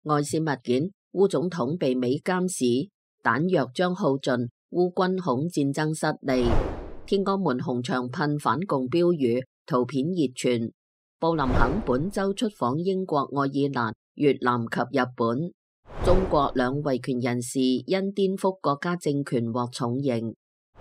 外泄物件，烏總統被美監視，彈藥將耗盡，烏軍恐戰爭失利。天安門紅牆噴反共標語，圖片熱傳。布林肯本周出訪英國、愛爾蘭、越南及日本。中國兩維權人士因顛覆國家政權獲重刑。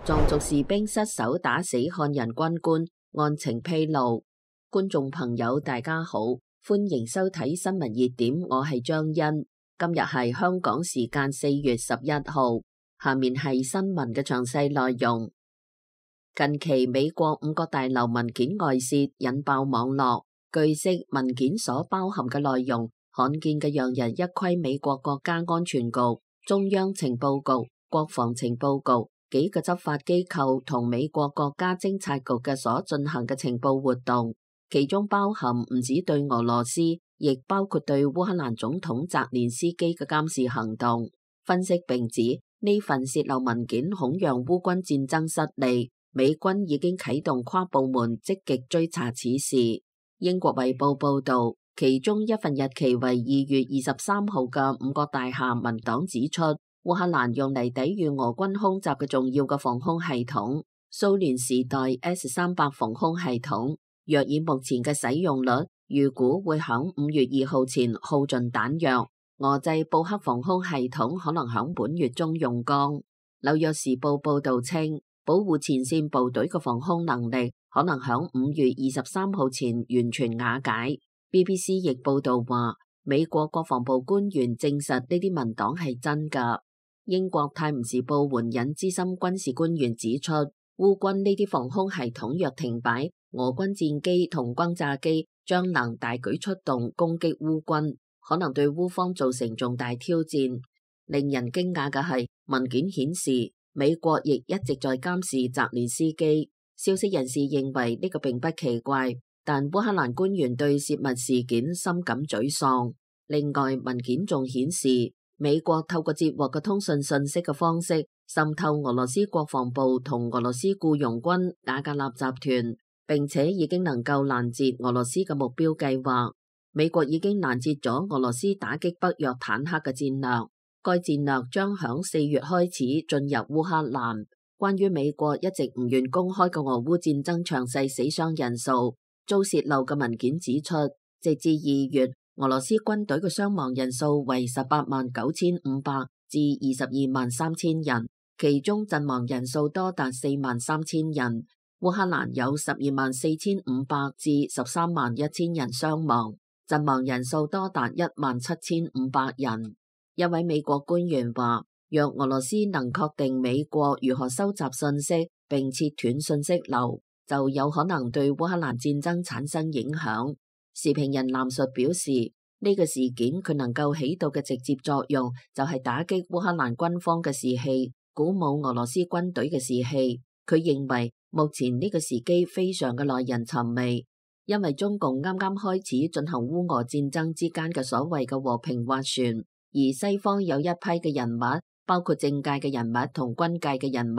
藏族士兵失手打死漢人軍官，案情披露。觀眾朋友大家好，歡迎收睇新聞熱點，我係張欣。今日係香港時間4月11號，下面係新聞嘅詳細內容。近期美國5個大樓文件外泄，引爆網絡。據悉，文件所包含嘅內容罕見嘅讓人一窺美國國家安全局、中央情報局、國防情報局幾個執法機構同美國國家偵察局嘅所進行嘅情報活動，其中包含唔止對俄羅斯，亦包括對烏克蘭總統澤連斯基嘅監視行動。分析並指呢份泄漏文件恐讓烏軍戰爭失利，美軍已經啟動跨部門積極追查此事。英國衛報報道，其中一份日期為2月23號嘅5個大廈文檔指出，烏克蘭用嚟抵禦俄軍空襲嘅重要嘅防空系統蘇聯時代 S-300 防空系統，若以目前嘅使用率，預估會響5月2號前耗盡彈藥。俄製布克防空系統可能響本月中用光。紐約時報報道稱，保護前線部隊嘅防空能力可能響5月23號前完全瓦解。BBC 亦報道話，美國國防部官員證實呢啲文檔係真㗎。英國泰晤士報援引資深軍事官員指出，烏軍呢啲防空系統若停擺，俄軍戰機同轟炸機將能大舉出動攻擊烏軍，可能對烏方造成重大挑戰。令人驚訝嘅係，文件顯示美國亦一直在監視澤連斯基。消息人士認為呢個並不奇怪，但烏克蘭官員對泄密事件深感沮喪。另外，文件仲顯示美國透過接獲嘅通訊信息嘅方式滲透俄羅斯國防部同俄羅斯僱傭軍瓦格納集團，並且已經能夠攔截俄羅斯嘅目標計劃。美國已經攔截咗俄羅斯打擊北約坦克嘅戰略，該戰略將響4月開始進入烏克蘭。關於美國一直唔願公開嘅俄烏戰爭詳細死傷人數，遭洩漏嘅文件指出，直至2月，俄羅斯軍隊嘅傷亡人數為189500至223000人，其中陣亡人數多達43000人。烏克蘭有124500至131000人傷亡，陣亡人數多達17500人。一位美國官員話，若俄羅斯能確定美國如何收集信息並切斷信息流，就有可能對烏克蘭戰爭產生影響。時評人藍述表示，呢個事件佢能夠起到嘅直接作用就係打擊烏克蘭軍方嘅士氣，鼓舞俄羅斯軍隊嘅士氣。佢認為目前呢個時機非常嘅耐人尋味，因為中共啱啱開始進行烏俄戰爭之間嘅所謂嘅和平斡旋，而西方有一批嘅人物，包括政界嘅人物同軍界嘅人物，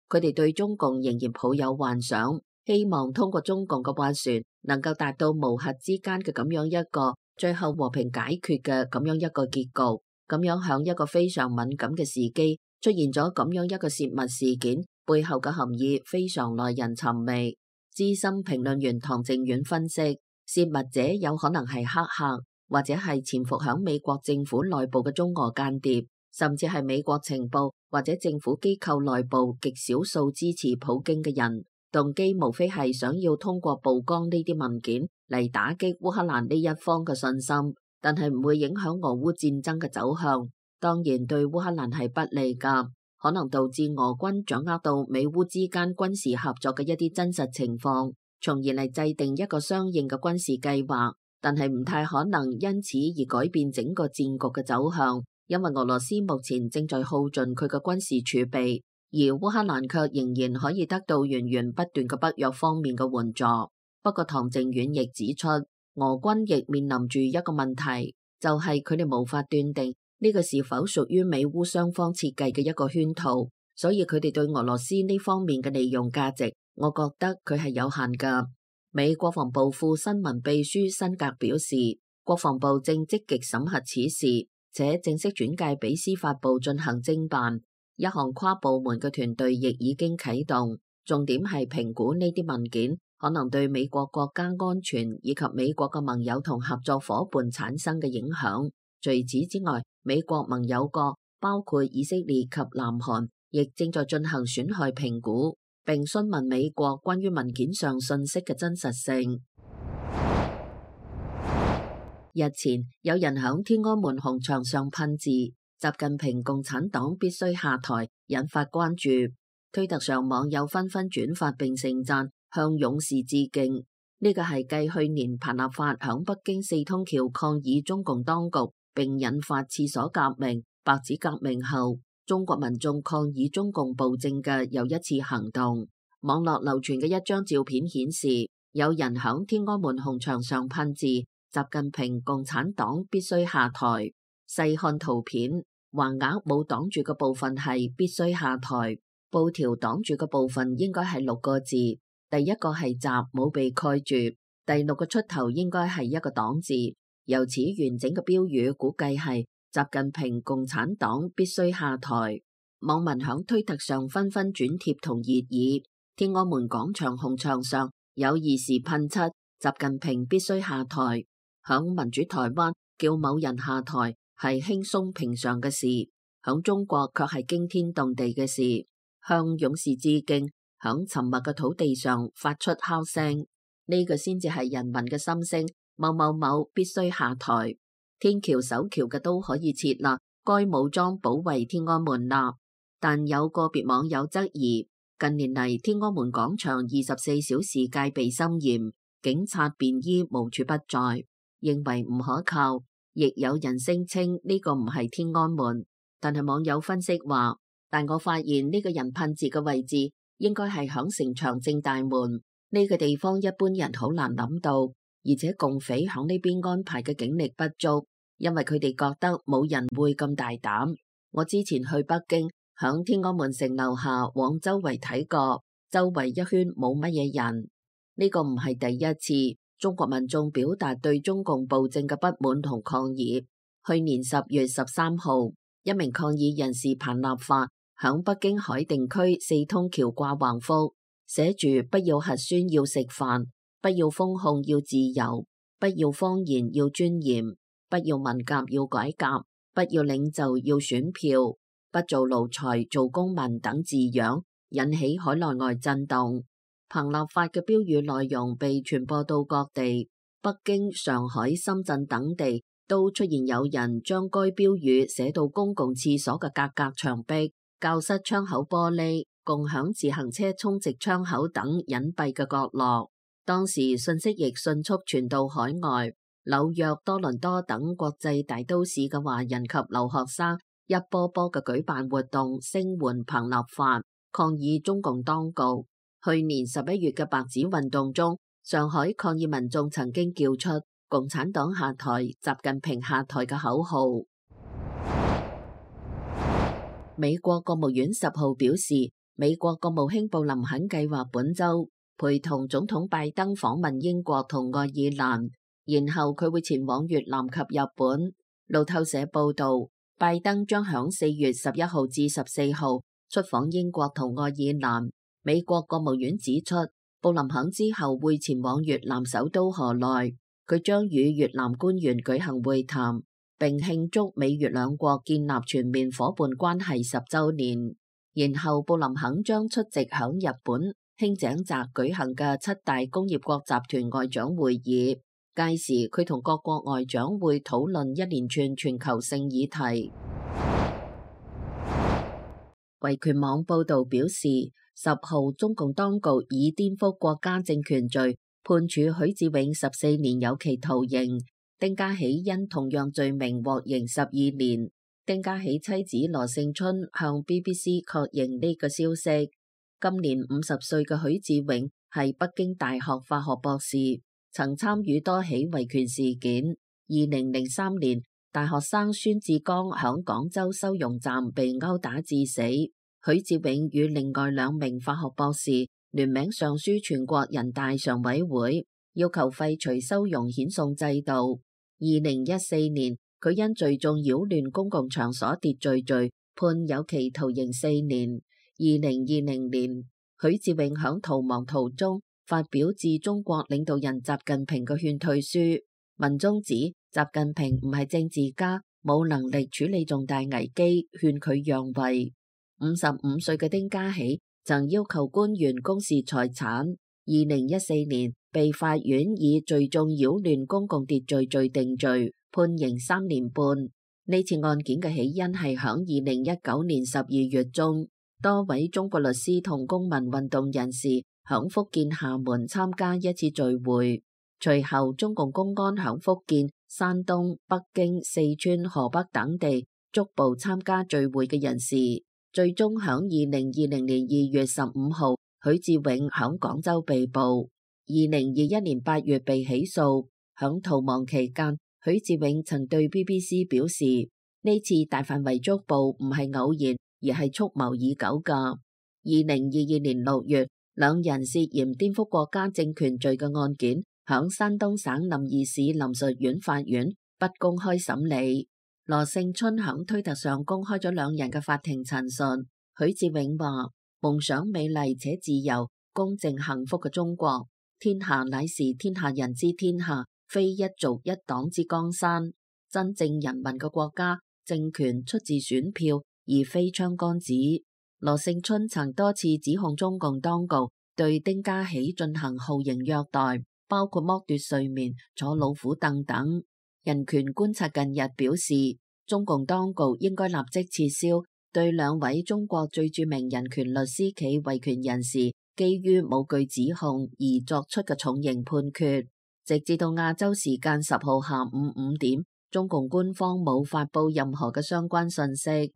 佢哋對中共仍然抱有幻想，希望通過中共嘅斡旋能夠達到無核之間嘅咁樣一個最後和平解決嘅咁樣一個結局。咁樣響一個非常敏感嘅時機出現咗咁樣一個泄密事件，背後嘅含義非常耐人尋味。資深評論員唐靖遠分析，泄密者有可能係黑客，或者係潛伏響美國政府內部嘅中俄間諜，甚至係美國情報或者政府機構內部極少數支持普京嘅人，動機無非係想要通過曝光呢啲文件嚟打擊烏克蘭呢一方嘅信心，但係唔會影響俄烏戰爭嘅走向。當然對烏克蘭係不利㗎，可能導致俄軍掌握到美烏之間軍事合作嘅一啲真實情況，從而嚟制定一個相應嘅軍事計劃，但係唔太可能因此而改變整個戰局嘅走向。因為俄羅斯目前正在耗盡佢嘅軍事儲備，而烏克蘭卻仍然可以得到源源不斷嘅北約方面嘅援助。不過唐靖遠亦指出，俄軍亦面臨住一個問題，就係佢哋無法斷定呢個是否屬於美烏雙方設計嘅一個圈套，所以佢哋對俄羅斯呢方面嘅利用價值，我覺得佢係有限㗎。美國防部副新聞秘書辛格表示，國防部正積極審核此事。且正式轉介俾司法部進行偵辦。一項跨部門嘅團隊亦已經啟動，重點係評估呢啲文件可能對美國國家安全以及美國嘅盟友同合作夥伴產生嘅影響。除此之外，美國盟友國包括以色列及南韓，亦正在進行損害評估，並詢問美國關於文件上信息嘅真實性。日前有人響天安門紅場上噴字，習近平共產黨必須下台，引發關注。推特上網友紛紛轉發並盛讚，向勇士致敬。呢個係繼去年彭立發響北京四通橋抗議中共當局並引發廁所革命、白紙革命後，中國民眾抗議中共暴政嘅又一次行動。網絡流傳嘅一張照片顯示，有人響天安門紅場上噴字，習近平共產黨必須下台。細看圖片，橫額冇擋住嘅部分係必須下台，布條擋住嘅部分應該係6個字。第一個係習冇被蓋住，第6個出頭應該係一個黨字。由此完整嘅標語估計係習近平共產黨必須下台。網民響推特上紛紛轉貼同熱議。天安門廣場紅場上有義士噴漆習近平必須下台。響民主台灣叫某人下台係輕鬆平常嘅事，響中國卻係驚天動地嘅事。向勇士致敬，響沉默嘅土地上發出敲聲，呢個先至係人民嘅心聲。某某某必須下台。天橋守橋嘅都可以設立，該武裝保衛天安門啦。但有個別網友質疑，近年嚟天安門廣場24小時戒備森嚴，警察便衣無處不在，認為唔可靠。亦有人聲稱呢個唔係天安門，但係網友分析話，但我發現呢個人噴字嘅位置應該係響城牆正大門呢個地方，一般人好難諗到，而且共匪響呢邊安排嘅警力不足，因為佢哋覺得冇人會咁大膽。我之前去北京，響天安門城樓下往周圍睇過，周圍一圈冇乜嘢人。呢個唔係第一次中國民眾表達對中共暴政嘅不滿同抗議。去年10月13號，一名抗議人士彭立發響北京海淀區四通橋掛橫幅，寫住不要核酸要食飯，不要封控要自由，不要謊言要尊嚴，不要文革要改革，不要領袖要選票，不做奴才做公民等字樣，引起海內外震動。彭立發嘅標語內容被傳播到各地，北京、上海、深圳等地都出現有人將該標語寫到公共廁所嘅隔隔牆壁、教室窗口玻璃、共享自行車充值窗口等隱蔽嘅角落。當時信息亦迅速傳到海外，紐約、多倫多等國際大都市嘅華人及留學生一波波嘅舉辦活動，聲援彭立發，抗議中共當局。去年11月嘅白紙運動中，上海抗議民眾曾經叫出共產黨下台、習近平下台嘅口號。美國國務院10號表示，美國國務卿布林肯計劃本週陪同總統拜登訪問英國同愛爾蘭，然後佢會前往越南及日本。路透社報道，拜登將響4月11號至14號出訪英國同愛爾蘭。美國國務院指出，布林肯之後會前往越南首都河內，佢將與越南官員舉行會談，並慶祝美越兩國建立全面夥伴關係10週年。然後布林肯將出席響日本輕井澤舉行嘅7大工業國集團外長會議，屆時佢同各國外長會討論一連串全球性議題。維權網報道表示，10號中共當局以顛覆國家政權罪判處許志永14年有期徒刑，丁家喜因同樣罪名獲刑12年。丁家喜妻子羅勝春向 BBC 確認呢個消息。今年50歲嘅許志永係北京大學法學博士，曾參與多起維權事件。2003年，大學生孫志剛響廣州收容站被毆打致死。許志永與另外2名法學博士聯名上書全國人大常委會，要求廢除收容遣送制度。2014年，佢因聚眾擾亂公共場所秩序罪判有期徒刑4年。2020年，許志永響逃亡途中發表致中國領導人習近平嘅勸退書，文中指習近平唔係政治家，冇能力處理重大危機，勸佢讓位。55歲嘅丁家喜曾要求官員公示財產。2014年被法院以聚眾擾亂公共秩序罪定罪，判刑3年半。呢次案件嘅起因係響2019年12月中，多位中國律師同公民運動人士響福建廈門參加一次聚會，隨後中共公安響福建、山東、北京、四川、河北等地捉捕參加聚會嘅人士，最終響2020年2月15號，許志永響廣州被捕，2021年8月被起訴。響逃亡期間，許志永曾對 BBC 表示，呢次大範圍捉捕唔係偶然，而係蓄謀已久㗎。2022年6月，兩人涉嫌顛覆國家政權罪嘅案件，響山東省臨沂市臨沭縣法院不公開審理。羅勝春響推特上公開咗兩人嘅法庭陳述。許志永話：夢想美麗且自由、公正幸福嘅中國，天下乃是天下人之天下，非一族一黨之江山。真正人民嘅國家，政權出自選票，而非槍桿子。羅勝春曾多次指控中共當局對丁家喜進行酷刑虐待，包括剝奪睡眠、坐老虎凳等。人權觀察近日表示，中共當局應該立即撤銷對兩位中國最著名人權律師暨維權人士基於無據指控而作出嘅重刑判決。直至到亞洲時間10號下午5點，中共官方冇發布任何嘅相關信息。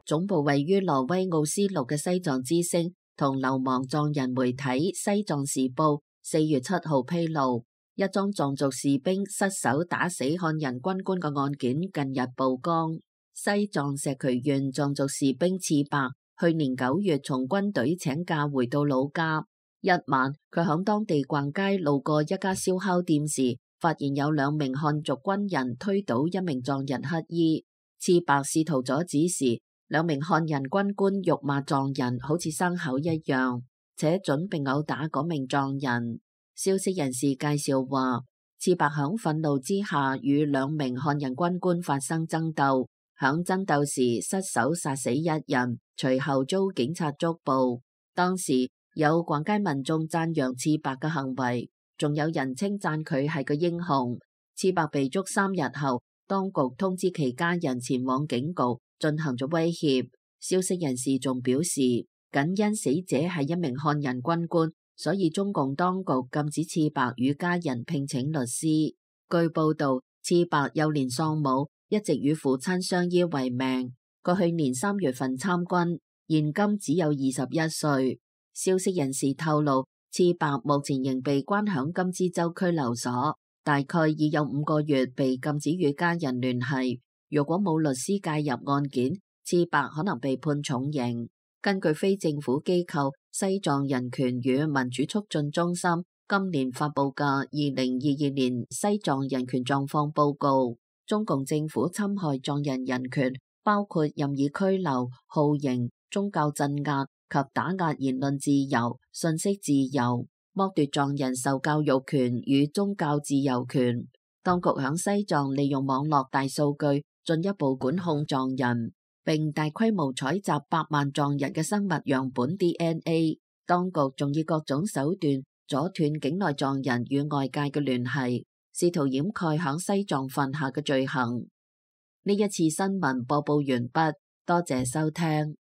總部位於挪威奧斯陸嘅西藏之聲同流亡藏人媒體《西藏時報》4月7號披露，一宗藏族士兵失手打死漢人軍官嘅案件近日曝光。西藏石渠縣藏族士兵次白去年9月從軍隊請假回到老家，一晚佢響當地逛街，路過一家燒烤店時，發現有2名漢族軍人推倒一名藏人乞衣。次白試圖阻止時，2名漢人軍官辱罵藏人好似牲口一樣，且準備毆打嗰名藏人。消息人士介紹話，次白響憤怒之下與2名漢人軍官發生爭鬥，響爭鬥時失手殺死一人，隨後遭警察捉捕。當時有逛街民眾讚揚次白嘅行為，仲有人稱讚佢係個英雄。次白被捉3日後，當局通知其家人前往警局進行咗威脅。消息人士仲表示，僅因死者係一名漢人軍官，所以中共當局禁止次白與家人聘請律師。據報道，次白幼年喪母，一直與父親相依為命。佢去年3月份參軍，現今只有21歲。消息人士透露，次白目前仍被關響金枝洲拘留所，大概已有5個月被禁止與家人聯繫。如果冇律師介入案件，次白可能被判重刑。根據非政府機構西藏人權與民主促進中心今年發佈嘅2022年西藏人權狀況報告，中共政府侵害藏人人權，包括任意拘留、酷刑、宗教鎮壓及打壓言論自由、信息自由，剝奪藏人受教育權與宗教自由權。當局響西藏利用網絡大數據進一步管控藏人，並大規模採集100萬藏人嘅生物樣本 DNA。當局仲以各種手段阻斷境內藏人與外界嘅聯繫，試圖掩蓋響西藏犯下嘅罪行。呢一次新聞播報完畢，多謝收聽。